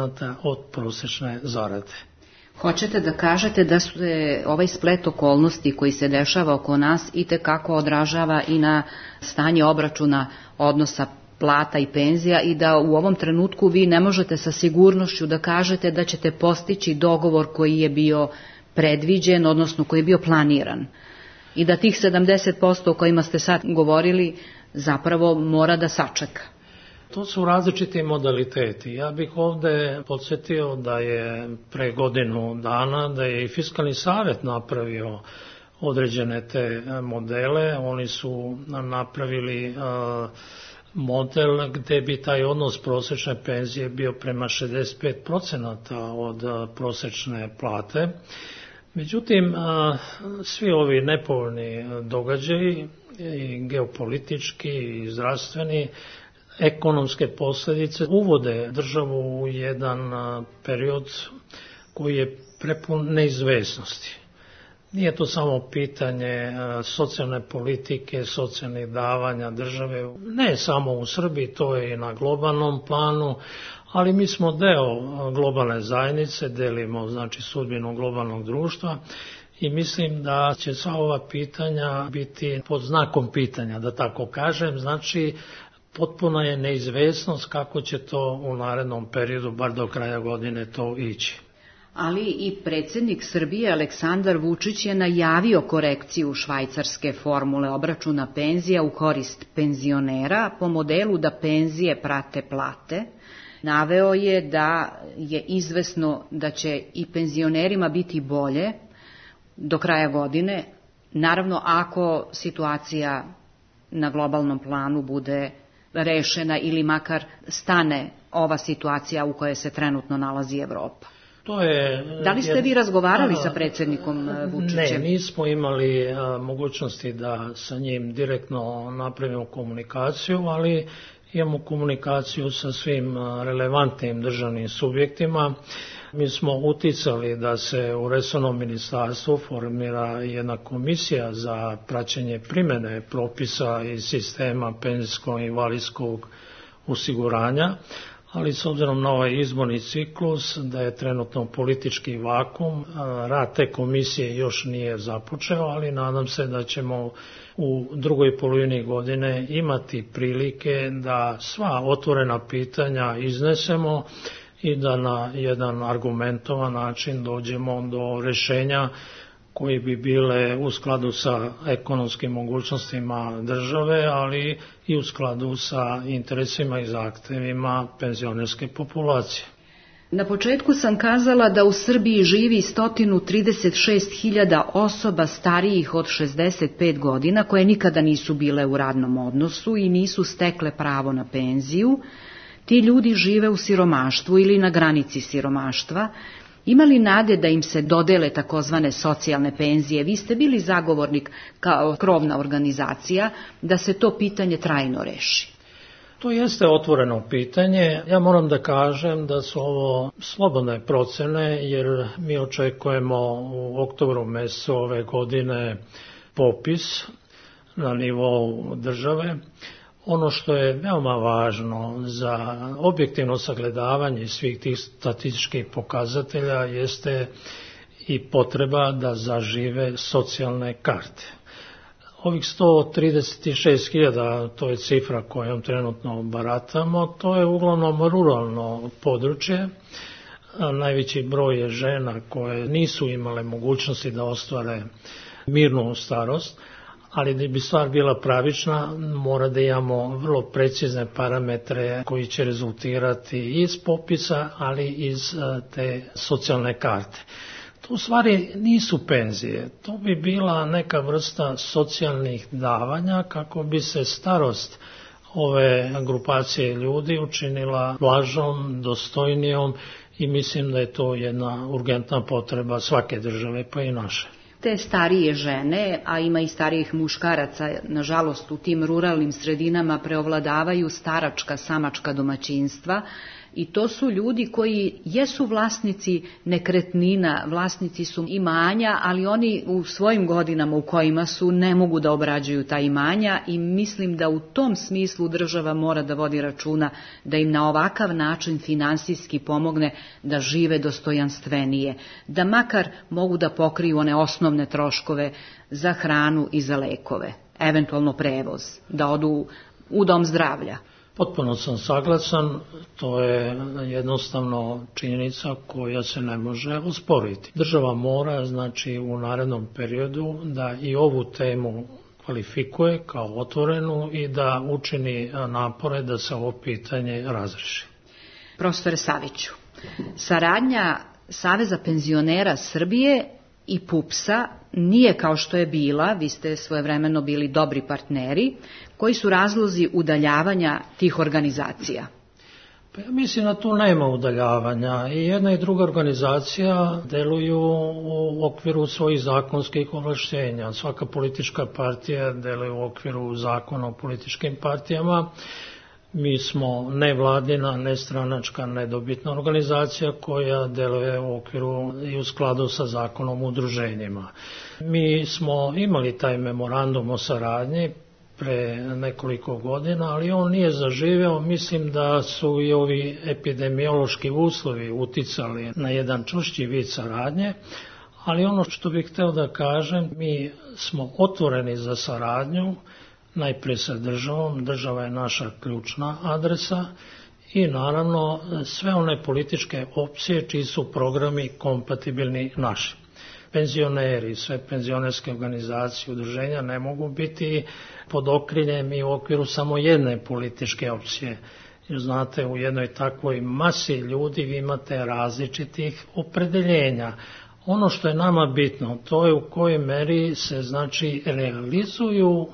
od prosječne zarade. Hoćete da kažete da su ovaj splet okolnosti koji se dešava oko nas itekako odražava i na stanje obračuna odnosa plata i penzija i da u ovom trenutku vi ne možete sa sigurnošću da kažete da ćete postići dogovor koji je bio predviđen, odnosno koji je bio planiran. I da tih sedamdeset posto o kojima ste sad govorili zapravo mora da sačeka. To su različiti modaliteti. Ja bih ovde podsjetio da je pre godinu dana da je i Fiskalni savet napravio određene te modele. Oni su napravili uh, model gde bi taj odnos prosječne penzije bio prema šezdeset pet posto od prosječne plate. Međutim, svi ovi nepovoljni događaji, i geopolitički i zdravstveni, ekonomske posljedice uvode državu u jedan period koji je prepun neizvesnosti. Nije to samo pitanje socijalne politike, socijalnih davanja države, ne samo u Srbiji, to je i na globalnom planu, ali mi smo deo globalne zajednice, delimo znači sudbinu globalnog društva i mislim da će sva ova pitanja biti pod znakom pitanja, da tako kažem, znači potpuna je neizvesnost kako će to u narednom periodu, bar do kraja godine, to ići. Ali i predsjednik Srbije Aleksandar Vučić je najavio korekciju švajcarske formule obračuna penzija u korist penzionera po modelu da penzije prate plate. Naveo je da je izvesno da će i penzionerima biti bolje do kraja godine, naravno ako situacija na globalnom planu bude rešena ili makar stane ova situacija u kojoj se trenutno nalazi Evropa. To je, da li ste vi razgovarali a, sa predsjednikom Vučićem? Ne, nismo imali a, mogućnosti da sa njim direktno napravimo komunikaciju, ali imamo komunikaciju sa svim relevantnim državnim subjektima. Mi smo uticali da se u resornom ministarstvu formira jedna komisija za praćenje primjene propisa iz sistema penzijskog i invalidskog osiguranja, ali s obzirom na ovaj izborni ciklus, da je trenutno politički vakum, rad te komisije još nije započeo, ali nadam se da ćemo u drugoj polovini godine imati prilike da sva otvorena pitanja iznesemo i da na jedan argumentovan način dođemo do rješenja koji bi bile u skladu sa ekonomskim mogućnostima države, ali i u skladu sa interesima i zahtevima penzionerske populacije. Na početku sam kazala da u Srbiji živi sto trideset šest hiljada osoba starijih od šezdeset pet godina koje nikada nisu bile u radnom odnosu i nisu stekle pravo na penziju. Ti ljudi žive u siromaštvu ili na granici siromaštva. Ima li nade da im se dodele takozvane socijalne penzije? Vi ste bili zagovornik kao krovna organizacija da se to pitanje trajno reši. To jeste otvoreno pitanje. Ja moram da kažem da su ovo slobodne procene, jer mi očekujemo u oktobru mesecu ove godine popis na nivou države. Ono što je veoma važno za objektivno sagledavanje svih tih statističkih pokazatelja jeste i potreba da zažive socijalne karte. Ovih sto trideset šest hiljada, to je cifra kojom trenutno baratamo, to je uglavnom ruralno područje. Najveći broj je žena koje nisu imale mogućnosti da ostvare mirnu starost, ali da bi stvar bila pravična, mora da imamo vrlo precizne parametre koji će rezultirati iz popisa, ali iz te socijalne karte. To u stvari nisu penzije, to bi bila neka vrsta socijalnih davanja kako bi se starost ove grupacije ljudi učinila blažom, dostojnijom i mislim da je to jedna urgentna potreba svake države, pa i naše. Te starije žene, a ima i starijih muškaraca, nažalost u tim ruralnim sredinama preovladavaju staračka, samačka domaćinstva i to su ljudi koji jesu vlasnici nekretnina, vlasnici su imanja, ali oni u svojim godinama u kojima su ne mogu da obrađuju ta imanja i mislim da u tom smislu država mora da vodi računa da im na ovakav način finansijski pomogne da žive dostojanstvenije, da makar mogu da pokriju one osnovne troškove za hranu i za lekove, eventualno prevoz, da odu u dom zdravlja. Potpuno sam saglasan, to je jednostavno činjenica koja se ne može osporiti. Država mora, znači, u narednom periodu da i ovu temu kvalifikuje kao otvorenu i da učini napore da se ovo pitanje razreši. Profesore Saviću, saradnja Saveza penzionera Srbije i PUPS-a nije kao što je bila, vi ste svojevremeno bili dobri partneri. Koji su razlozi udaljavanja tih organizacija? Pa ja mislim da tu nema udaljavanja. I jedna i druga organizacija deluju u okviru svojih zakonskih ovlašćenja. Svaka politička partija deluje u okviru zakona o političkim partijama. Mi smo nevladina, nestranačka, nedobitna organizacija koja deluje u okviru i u skladu sa zakonom o udruženjima. Mi smo imali taj memorandum o saradnji pre nekoliko godina, ali on nije zaživeo. Mislim da su i ovi epidemiološki uslovi uticali na jedan čvršći vid saradnje, ali ono što bih hteo da kažem, mi smo otvoreni za saradnju, najpre sa državom, država je naša ključna adresa i naravno sve one političke opcije čiji su programi kompatibilni naši. Penzioneri, sve penzionerske organizacije, udruženja ne mogu biti pod okriljem i u okviru samo jedne političke opcije. Jer znate, u jednoj takvoj masi ljudi vi imate različitih opredeljenja. Ono što je nama bitno, to je u kojoj meri se, znači, realizuju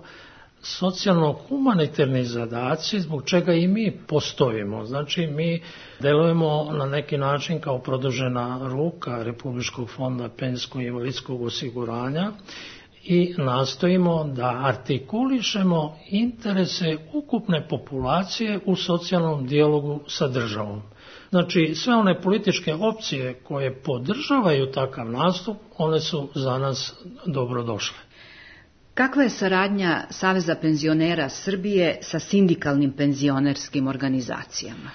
socijalno-humanitarni zadaci zbog čega i mi postojimo. Znači, mi delujemo na neki način kao produžena ruka Republičkog fonda penzijskog i invalidskog osiguranja i nastojimo da artikulišemo interese ukupne populacije u socijalnom dijalogu sa državom. Znači, sve one političke opcije koje podržavaju takav nastup, one su za nas dobrodošle. Kakva je saradnja Saveza penzionera Srbije sa sindikalnim penzionerskim organizacijama?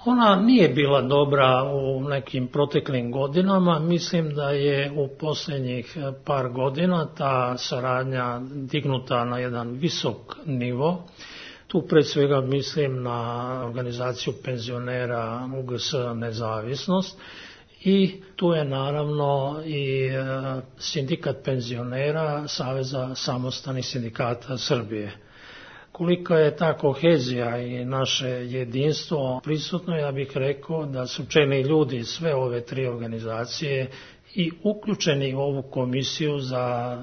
Ona nije bila dobra u nekim proteklim godinama. Mislim da je u posljednjih par godina ta saradnja dignuta na jedan visok nivo. Tu pre svega mislim na organizaciju penzionera U G S Nezavisnost. I tu je naravno i sindikat penzionera Saveza samostalnih sindikata Srbije. Kolika je ta kohezija i naše jedinstvo prisutno, ja bih rekao da su čelni ljudi sve ove tri organizacije i uključeni u ovu komisiju za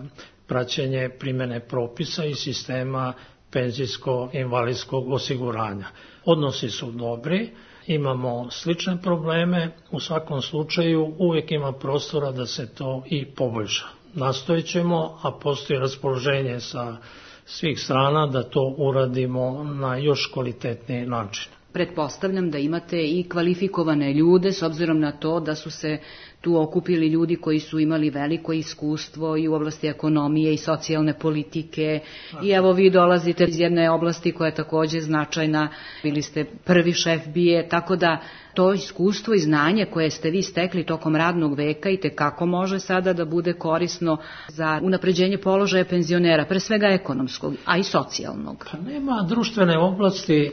praćenje primjene propisa i sistema penzijsko-invalidskog osiguranja. Odnosi su dobri. Imamo slične probleme, u svakom slučaju uvijek ima prostora da se to i poboljša. Nastojit ćemo, a postoji raspoloženje sa svih strana da to uradimo na još kvalitetniji način. Pretpostavljam da imate i kvalifikovane ljude s obzirom na to da su se tu okupili ljudi koji su imali veliko iskustvo i u oblasti ekonomije i socijalne politike. I evo vi dolazite iz jedne oblasti koja je takođe značajna, bili ste prvi šef B I A, tako da to iskustvo i znanje koje ste vi stekli tokom radnog veka i tekako može sada da bude korisno za unapređenje položaja penzionera, pre svega ekonomskog, a i socijalnog. Pa nema društvene oblasti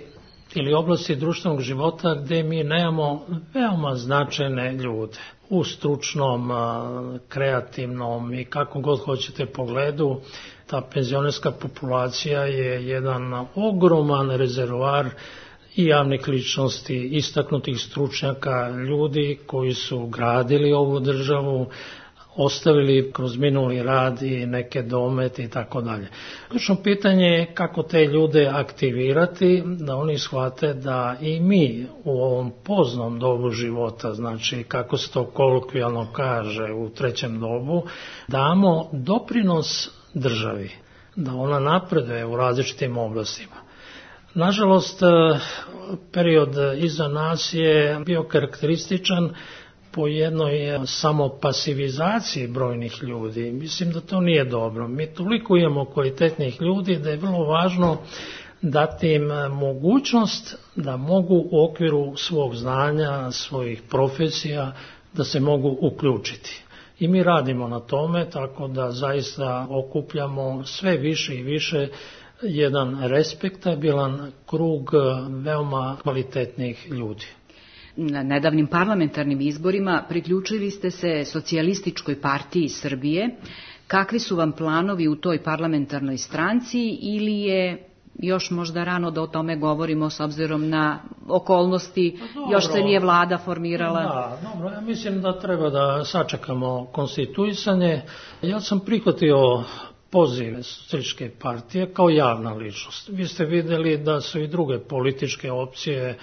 ili oblasti društvenog života gde mi nemamo veoma značajne ljude u stručnom, kreativnom i kako god hoćete pogledu. Ta penzionerska populacija je jedan ogroman rezervoar i javnih ličnosti, istaknutih stručnjaka, ljudi koji su gradili ovu državu, ostavili kroz minuli rad i neke domete i tako dalje. Ključno pitanje je kako te ljude aktivirati, da oni shvate da i mi u ovom poznom dobu života, znači kako se to kolokvijalno kaže u trećem dobu, damo doprinos državi, da ona napreduje u različitim oblastima. Nažalost, period iza nas je bio karakterističan po jednoj samo pasivizaciji brojnih ljudi. Mislim da to nije dobro. Mi toliko imamo kvalitetnih ljudi da je vrlo važno dati im mogućnost da mogu u okviru svog znanja, svojih profesija, da se mogu uključiti. I mi radimo na tome, tako da zaista okupljamo sve više i više jedan respektabilan krug veoma kvalitetnih ljudi. Na nedavnim parlamentarnim izborima priključili ste se Socijalističkoj partiji Srbije. Kakvi su vam planovi u toj parlamentarnoj stranci ili je još možda rano da o tome govorimo s obzirom na okolnosti, dobro, još se nije vlada formirala? Da, dobro, ja mislim da treba da sačekamo konstituisanje. Ja sam prihvatio poziv Socijalističke partije kao javna ličnost. Vi ste videli da su i druge političke opcije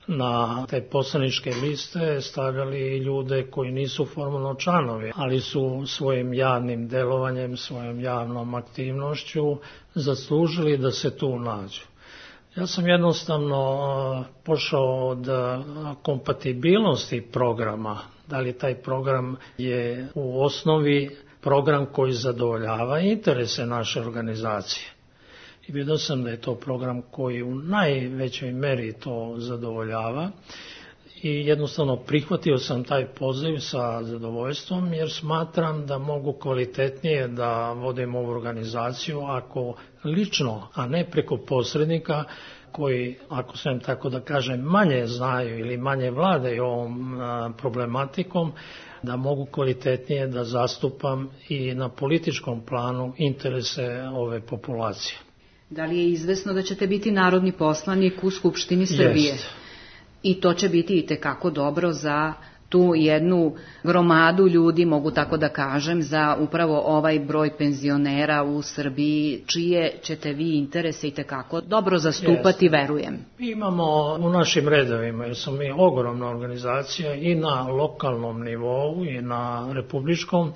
na te poslaničke liste stavljali ljude koji nisu formalno članovi, ali su svojim javnim delovanjem, svojom javnom aktivnošću zaslužili da se tu nađu. Ja sam jednostavno pošao od kompatibilnosti programa, da li taj program je u osnovi program koji zadovoljava interese naše organizacije. I vidio sam da je to program koji u najvećoj meri to zadovoljava i jednostavno prihvatio sam taj poziv sa zadovoljstvom jer smatram da mogu kvalitetnije da vodim ovu organizaciju ako lično, a ne preko posrednika koji, ako sam tako da kažem, manje znaju ili manje vladaju ovom problematikom, da mogu kvalitetnije da zastupam i na političkom planu interese ove populacije. Da li je izvesno da ćete biti narodni poslanik u Skupštini Srbije? Jest. I to će biti i tekako dobro za tu jednu gromadu ljudi, mogu tako da kažem, za upravo ovaj broj penzionera u Srbiji, čije ćete vi interese i tekako dobro zastupati, Jest. Verujem. Mi imamo u našim redovima, jer smo mi ogromna organizacija i na lokalnom nivou i na republičkom,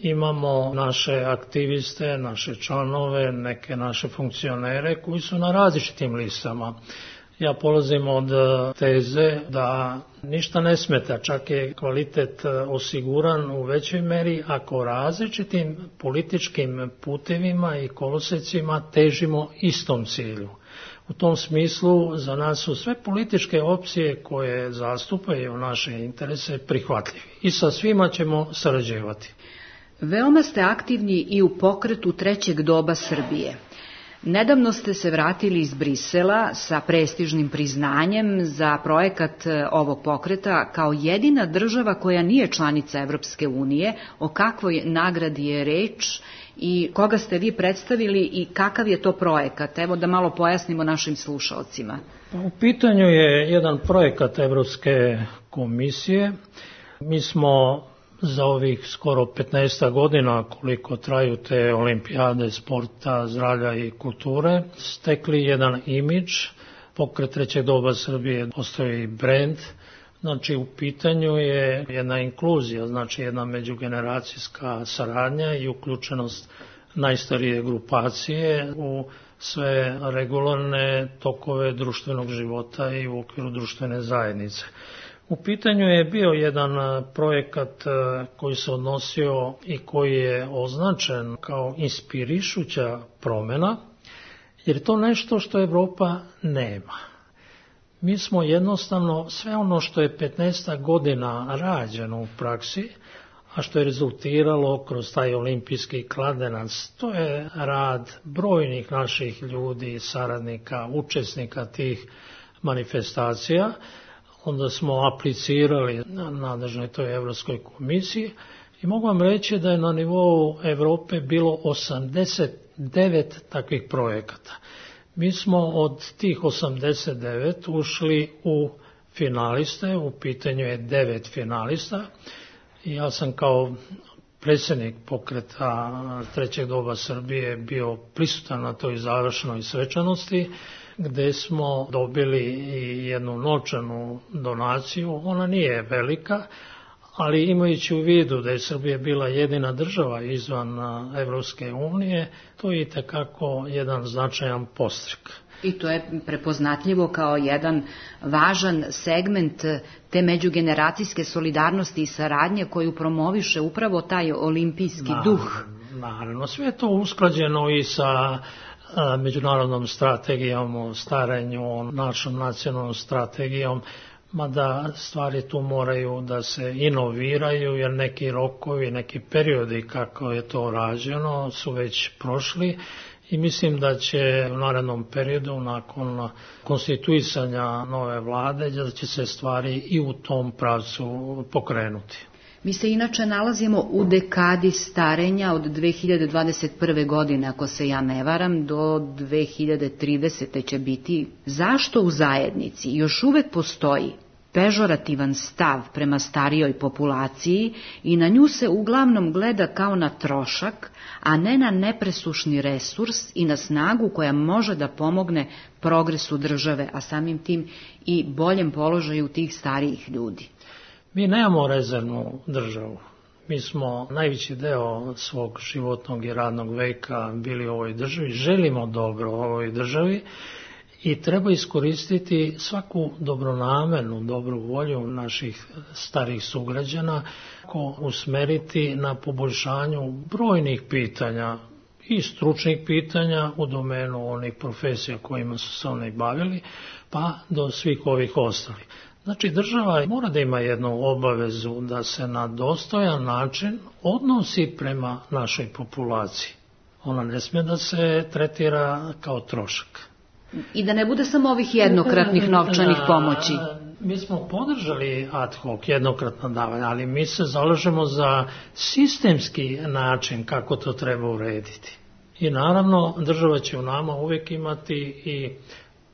imamo naše aktiviste, naše članove, neke naše funkcionere koji su na različitim listama. Ja polazim od teze da ništa ne smeta, čak je kvalitet osiguran u većoj meri ako različitim političkim putevima i kolosecima težimo istom cilju. U tom smislu za nas su sve političke opcije koje zastupaju naše interese prihvatljivi i sa svima ćemo sarađivati. Veoma ste aktivni i u pokretu trećeg doba Srbije. Nedavno ste se vratili iz Brisela sa prestižnim priznanjem za projekat ovog pokreta kao jedina država koja nije članica Evropske unije. O kakvoj nagradi je reč i koga ste vi predstavili i kakav je to projekat? Evo da malo pojasnimo našim slušalcima. U pitanju je jedan projekat Evropske komisije. Mi smo za ovih skoro petnaest godina koliko traju te olimpijade sporta, zdravlja i kulture, stekli jedan imidž. Pokret trećeg doba Srbije postoji brend, znači u pitanju je jedna inkluzija, znači jedna međugeneracijska saradnja i uključenost najstarije grupacije u sve regularne tokove društvenog života i u okviru društvene zajednice. U pitanju je bio jedan projekat koji se odnosio i koji je označen kao inspirišuća promjena, jer je to nešto što Evropa nema. Mi smo jednostavno sve ono što je petnaest godina rađeno u praksi, a što je rezultiralo kroz taj olimpijski kladenac, to je rad brojnih naših ljudi, saradnika, učesnika tih manifestacija. Onda smo aplicirali na nadležnoj toj Evropskoj komisiji i mogu vam reći da je na nivou Evrope bilo osamdeset devet takvih projekata. Mi smo od tih osamdeset devet ušli u finaliste, u pitanju je devet finalista i ja sam kao predsjednik pokreta Trećeg doba Srbije bio prisutan na toj završnoj svečanosti, gde smo dobili jednu novčanu donaciju. Ona nije velika, ali imajući u vidu da je Srbija bila jedina država izvan Evropske unije, to je itekako jedan značajan podstrek. I to je prepoznatljivo kao jedan važan segment te međugeneracijske solidarnosti i saradnje koju promoviše upravo taj olimpijski naravno, duh. Naravno, sve je to usklađeno i sa međunarodnom strategijom o starenju, našom nacionalnom strategijom, mada stvari tu moraju da se inoviraju, jer neki rokovi, neki periodi kako je to rađeno su već prošli i mislim da će u narednom periodu nakon konstituisanja nove vlade da će se stvari i u tom pravcu pokrenuti. Mi se inače nalazimo u dekadi starenja od dve hiljade dvadeset prve. godine, ako se ja ne varam, do dve hiljade tridesete. će biti. Zašto u zajednici još uvek postoji pežorativan stav prema starijoj populaciji i na nju se uglavnom gleda kao na trošak, a ne na nepresušni resurs i na snagu koja može da pomogne progresu države, a samim tim i boljem položaju tih starijih ljudi? Mi nemamo rezervnu državu. Mi smo najveći deo svog životnog i radnog veka bili u ovoj državi, želimo dobro u ovoj državi i treba iskoristiti svaku dobronamernu, dobru volju naših starih sugrađana, ko usmeriti na poboljšanju brojnih pitanja i stručnih pitanja u domenu onih profesija kojima su se oni bavili, pa do svih ovih ostalih. Znači, država mora da ima jednu obavezu da se na dostojan način odnosi prema našoj populaciji. Ona ne smije da se tretira kao trošak. I da ne bude samo ovih jednokratnih novčanih pomoći. Mi smo podržali ad hoc jednokratna davanja, ali mi se zalažemo za sistemski način kako to treba urediti. I naravno, država će u nama uvijek imati i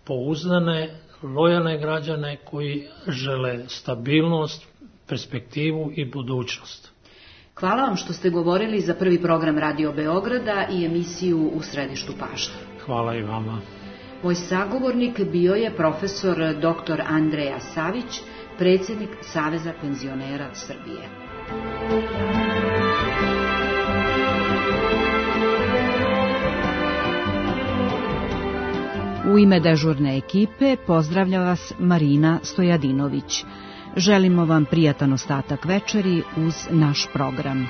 pouzdane, lojalne građane koji žele stabilnost, perspektivu i budućnost. Hvala vam što ste govorili za prvi program Radio Beograda i emisiju U središtu pažnje. Hvala i vama. Moj sagovornik bio je profesor doktor Andreja Savić, predsjednik Saveza penzionera Srbije. U ime dežurne ekipe pozdravlja vas Marina Stojadinović. Želimo vam prijatan ostatak večeri uz naš program.